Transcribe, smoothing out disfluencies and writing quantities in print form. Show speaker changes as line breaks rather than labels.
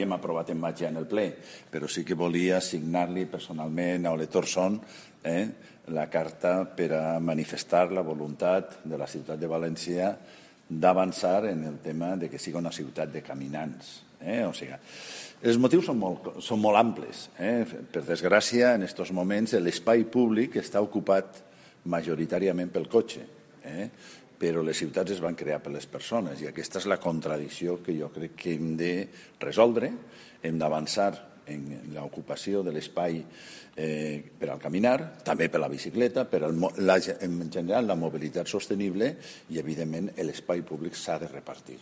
hem aprovat en maig ja en el ple, però sí que volia assignar-li personalment a Ole Torson la carta per a manifestar la voluntat de la ciutat de València d'avançar en el tema de que sigui una ciutat de caminants. O sigui, els motius són molt amplis. Per desgràcia, en aquests moments l'espai públic està ocupat majoritàriament pel cotxe, però les ciutats es van crear per les persones i aquesta és la contradicció que jo crec que hem de resoldre. Hem d'avançar en l'ocupació de l'espai per al caminar, també per la bicicleta, en general la mobilitat sostenible i, evidentment, l'espai públic s'ha de repartir.